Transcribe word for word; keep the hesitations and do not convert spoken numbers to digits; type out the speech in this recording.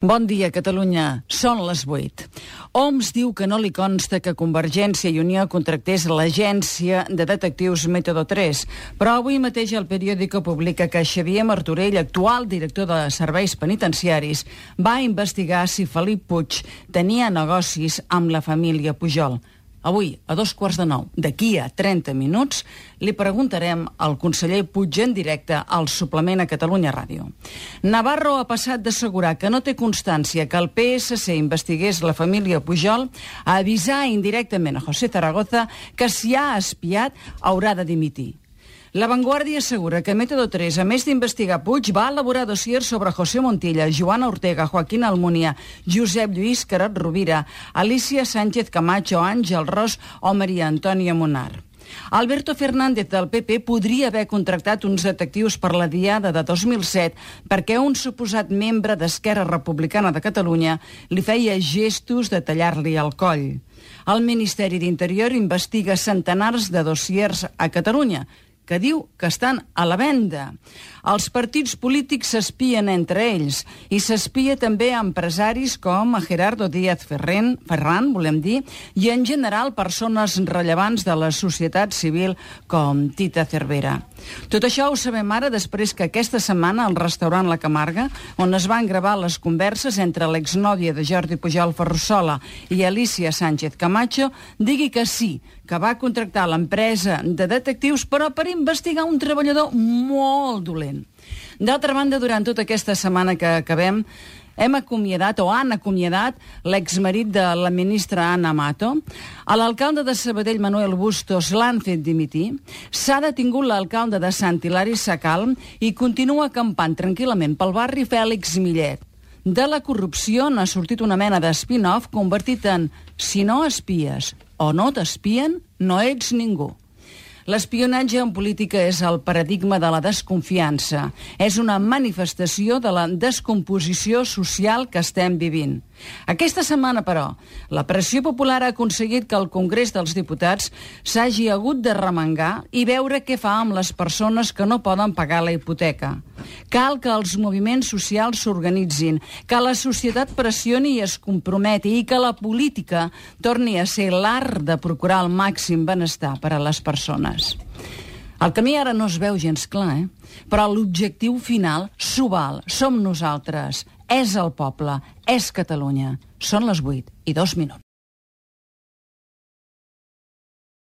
Bon dia, Catalunya. Són les vuit. O M S diu que no li consta que Convergència i Unió contractés l'agència de detectius Método tres, però avui mateix el periòdico publica que Xavier Martorell, actual director de serveis penitenciaris, va investigar si Felip Puig tenia negocis amb la família Pujol. Avui, a dos quarts de nou, d'aquí a trenta minuts, li preguntarem al conseller Puig en directe al suplement a Catalunya Ràdio. Navarro ha passat d'assegurar que no té constància que el P S C investigués la família Pujol a avisar indirectament a José Zaragoza que si ha espiat haurà de dimitir. La Vanguardia assegura que Método tres, a més d'investigar Puig, va elaborar dossiers sobre José Montilla, Joana Ortega, Joaquín Almunia, Josep Lluís Carod Rovira, Alicia Sánchez Camacho, Àngel Ros o Maria Antònia Munar. Alberto Fernández del P P podria haver contractat uns detectius per la diada de dos mil set perquè un suposat membre d'Esquerra Republicana de Catalunya li feia gestos de tallar-li el coll. El Ministeri d'Interior investiga centenars de dossiers a Catalunya, que diu que estan a la venda. Els partits polítics s'espien entre ells i s'espia també a empresaris com a Gerardo Díaz Ferren, Ferran, volem dir, i en general persones rellevants de la societat civil com Tita Cervera. Tot això ho sabem ara després que aquesta setmana al restaurant La Camarga, on es van gravar les converses entre l'exnòvia de Jordi Pujol Ferrusola i Alicia Sánchez Camacho, digui que sí, que va contractar l'empresa de detectius però per investigar un treballador molt dolent. D'altra banda, durant tota aquesta setmana que acabem, hem acomiadat o han acomiadat l'exmarit de la ministra Ana Mato. A l'alcalde de Sabadell, Manuel Bustos, l'han fet dimitir. S'ha detingut l'alcalde de Sant Hilari Sacalm i continua acampant tranquil·lament pel barri Fèlix Millet. De la corrupció n'ha sortit una mena d'espin-off convertit en si no espies o no t'espien, no ets ningú. L'espionatge en política és el paradigma de la desconfiança. És una manifestació de la descomposició social que estem vivint. Aquesta setmana, però, la pressió popular ha aconseguit que el Congrés dels Diputats s'hagi hagut de remengar i veure què fa amb les persones que no poden pagar la hipoteca. Cal que els moviments socials s'organitzin, que la societat pressioni i es comprometi i que la política torni a ser l'art de procurar el màxim benestar per a les persones. El camí ara no es veu gens clar, eh? Però l'objectiu final s'ho val, som nosaltres, és el poble, és Catalunya. Són les vuit i dos minuts.